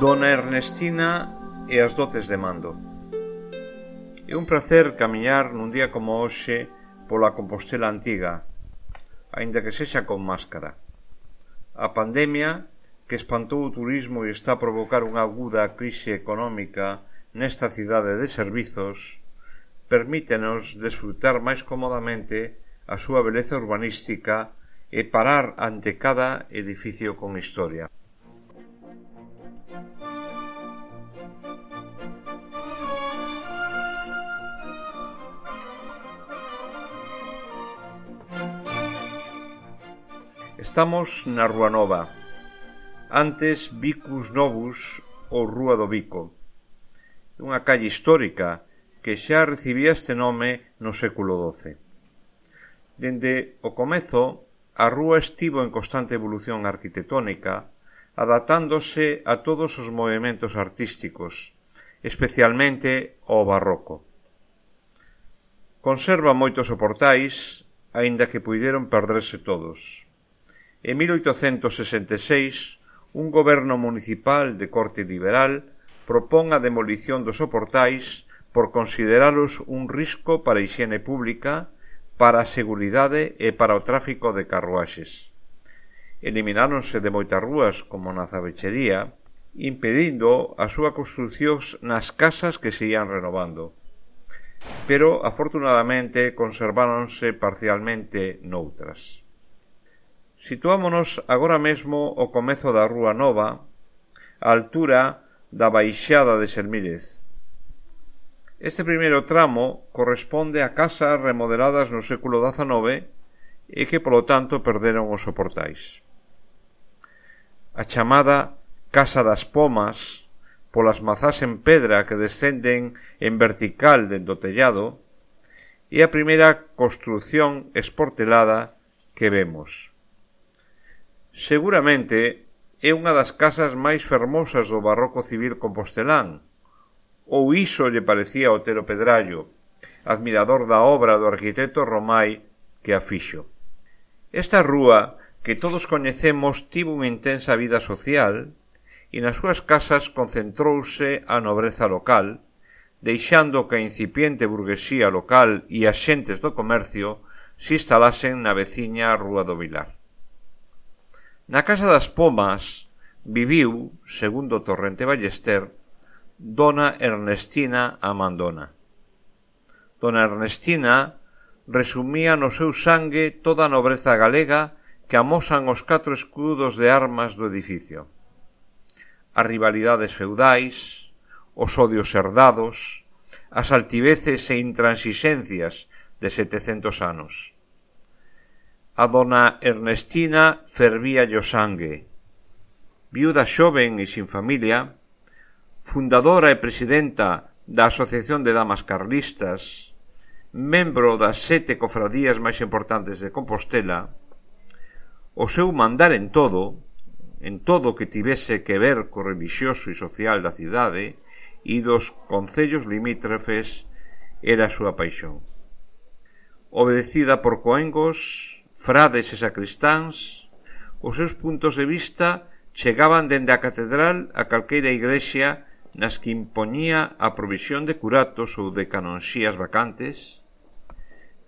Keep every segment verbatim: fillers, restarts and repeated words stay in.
Dona Ernestina e as dotes de mando. É un prazer camiñar nun día como hoxe pola Compostela antiga, aínda que sexa con máscara. A pandemia, que espantou o turismo e está a provocar unha aguda crise económica nesta cidade de servizos, permítenos desfrutar máis cómodamente a súa beleza urbanística e parar ante cada edificio con historia. Estamos na Rúa Nova, antes Vicus Novus ou Rúa do Bico, unha calle histórica que xa recibía este nome no século doce. Dende o comezo, a rúa estivo en constante evolución arquitectónica, adaptándose a todos os movementos artísticos, especialmente ao barroco. Conserva moitos soportais, aínda que puideron perderse todos. En mil oitocentos sesenta e seis, un goberno municipal de corte liberal propón a demolición dos soportais por consideralos un risco para a hixiene pública, para a seguridade e para o tráfico de carruaxes. Elimináronse de moitas rúas, como na Zabechería, impedindo a súa construción nas casas que se ían renovando. Pero, afortunadamente, conserváronse parcialmente noutras. Situámonos agora mesmo ao comezo da Rúa Nova, á altura da baixada de Sermírez. Este primeiro tramo corresponde a casas remodeladas no século dezanove e que, polo tanto, perderon os soportais. A chamada Casa das Pomas, polas mazás en pedra que descenden en vertical dende o tellado, é a primeira construción esportelada que vemos. Seguramente é unha das casas máis fermosas do barroco civil compostelán, ou iso lle parecía a Otero Pedrallo, admirador da obra do arquitecto Romai que a fixo. Esta rúa, que todos coñecemos, tivo unha intensa vida social e nas súas casas concentrouse a nobreza local, deixando que a incipiente burguesía local e as xentes do comercio se instalasen na veciña Rúa do Vilar. Na Casa das Pomas viviu, segundo Torrente Ballester, Dona Ernestina Amandona. Dona Ernestina resumía no seu sangue toda a nobreza galega que amosan os catro escudos de armas do edificio. As rivalidades feudais, os odios herdados, as altiveces e intransixencias de setecentos anos. A dona Ernestina fervíalle o sangue. Viuda xoven e sin familia, fundadora e presidenta da Asociación de Damas Carlistas, membro das sete cofradías máis importantes de Compostela, o seu mandar en todo, en todo que tivese que ver co relixioso e social da cidade e dos concellos limítrofes, era a súa paixón. Obedecida por coengos, frades e sacristáns, os seus puntos de vista chegaban dende a catedral a calqueira igrexa nas que impoñía a provisión de curatos ou de canonxías vacantes,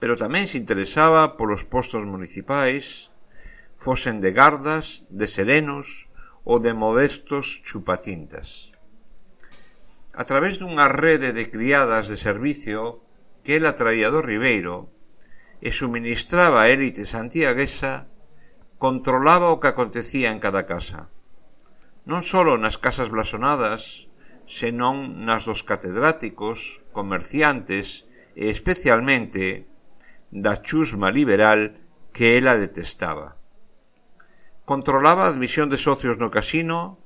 pero tamén se interesaba polos postos municipais, fosen de gardas, de serenos ou de modestos chupatintas. A través dunha rede de criadas de servicio que ela traía do Ribeiro e suministraba a élite santiaguesa, controlaba o que acontecía en cada casa, non só nas casas blasonadas, senón nas dos catedráticos, comerciantes e especialmente da chusma liberal que ela detestaba. Controlaba a admisión de socios no casino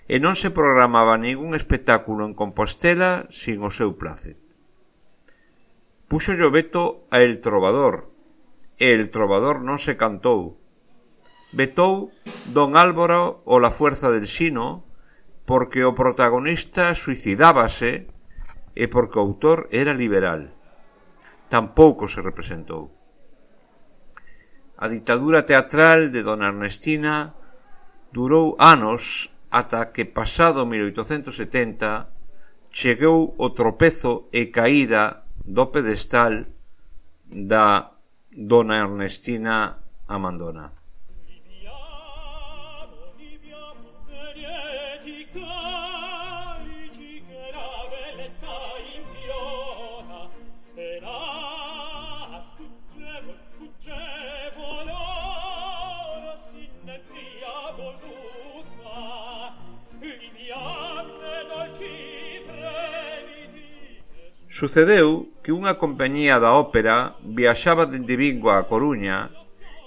e non se programaba ningún espectáculo en Compostela sin o seu placet. Puxo o veto a El Trovador, e El Trovador non se cantou. Vetou Don Álvaro o La Fuerza del Sino porque o protagonista suicidábase e porque o autor era liberal. Tampouco se representou. A ditadura teatral de Dona Ernestina durou anos ata que pasado mil oitocentos setenta chegou o tropezo e caída do pedestal da Dona Ernestina Amandona. Sucedeu que unha compañía da ópera viaxaba dende Vigo a Coruña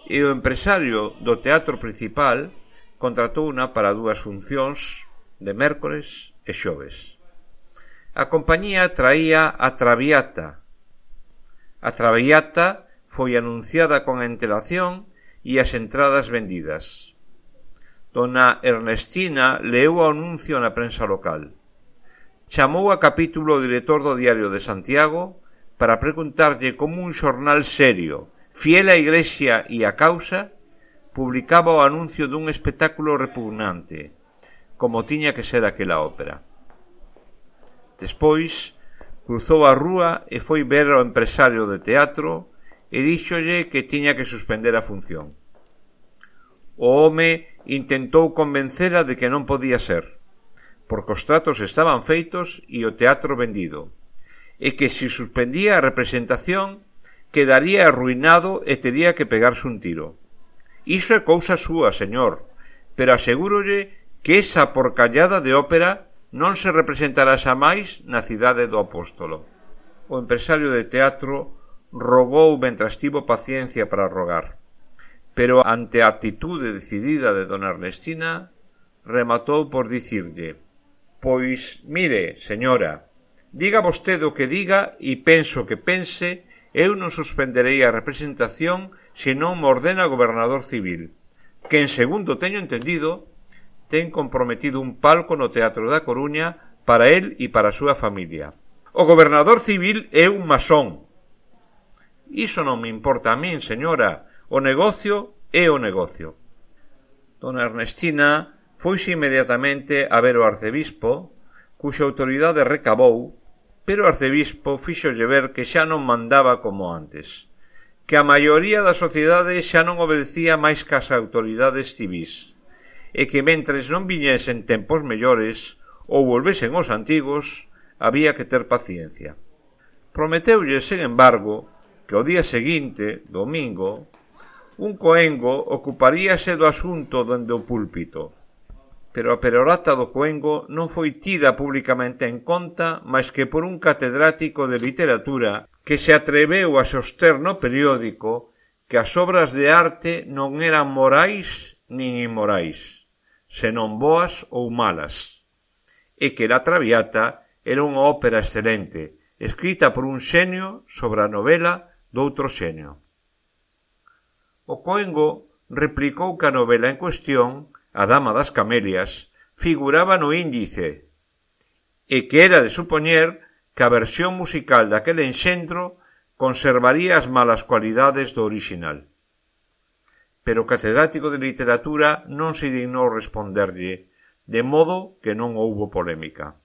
e o empresario do teatro principal contratouna para dúas funcións de mércores e xoves. A compañía traía a Traviata. A Traviata foi anunciada con antelación e as entradas vendidas. Dona Ernestina leu o anuncio na prensa local. Chamou a capítulo o director do Diario de Santiago para preguntarlle como un xornal serio, fiel á Igrexa e á causa, publicaba o anuncio dun espectáculo repugnante, como tiña que ser aquela ópera. Despois, cruzou a rúa e foi ver ao empresario de teatro e díxolle que tiña que suspender a función. O home intentou convencela de que non podía ser, porque os tratos estaban feitos e o teatro vendido, e que se suspendía a representación quedaría arruinado e tería que pegarse un tiro. Iso é cousa súa, señor, pero asegúrolle que esa porcallada de ópera non se representará xamais na cidade do Apóstolo. O empresario de teatro rogou mentras tivo paciencia para rogar, pero ante a actitude decidida de dona Ernestina, rematou por dicirlle: Pois, mire, señora, diga vostede o que diga e penso que pense, eu non suspenderei a representación se non me ordena o gobernador civil, que, en segundo teño entendido, ten comprometido un palco no Teatro da Coruña para él e para a súa familia. O gobernador civil é un masón. Iso non me importa a min, señora. O negocio é o negocio. Dona Ernestina foise inmediatamente a ver o arcebispo, cuxa autoridade recabou, pero o arcebispo fíxolle ver que xa non mandaba como antes, que a maioría da sociedade xa non obedecía máis que as autoridades civís, e que mentres non viñesen tempos mellores ou volvesen os antigos, había que ter paciencia. Prometeulle, sen embargo, que o día seguinte, domingo, un coengo ocuparíase do asunto dende o púlpito, pero a perorata do coengo non foi tida públicamente en conta máis que por un catedrático de literatura que se atreveu a soster no periódico que as obras de arte non eran morais nin inmorais, senón boas ou malas, e que La Traviata era unha ópera excelente, escrita por un xenio sobre a novela doutro xenio. O coengo replicou que a novela en cuestión, A Dama das Camelias, figuraba no índice, e que era de supoñer que a versión musical daquele enxendro conservaría as malas cualidades do orixinal. Pero o catedrático de literatura non se dignou responderlle, de modo que non houbo polémica.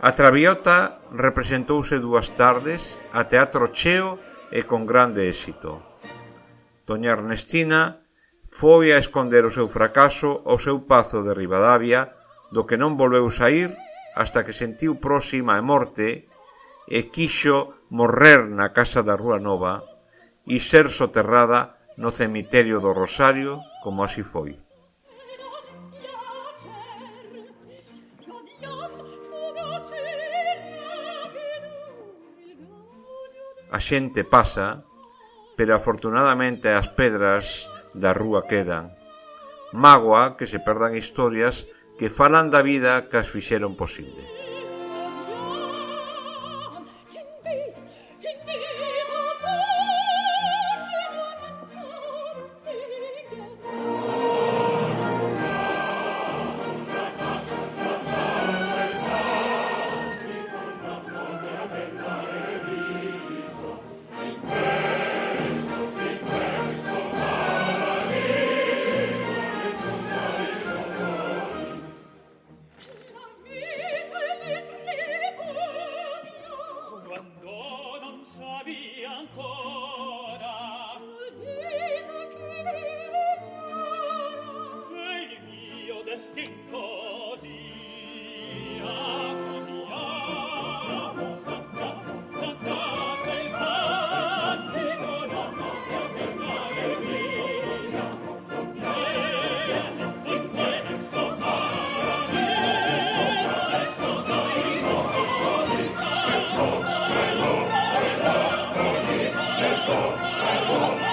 A Traviata representouse dúas tardes a teatro cheo e con grande éxito. Doña Ernestina foi a esconder o seu fracaso ao seu pazo de Ribadavia, do que non volveu saír hasta que sentiu próxima a morte e quixo morrer na casa da Rúa Nova e ser soterrada no cemiterio do Rosario, como así foi. A xente pasa, pero afortunadamente as pedras da rúa quedan. Mágoa que se perdan historias que falan da vida que as fixeron posible. Thank you.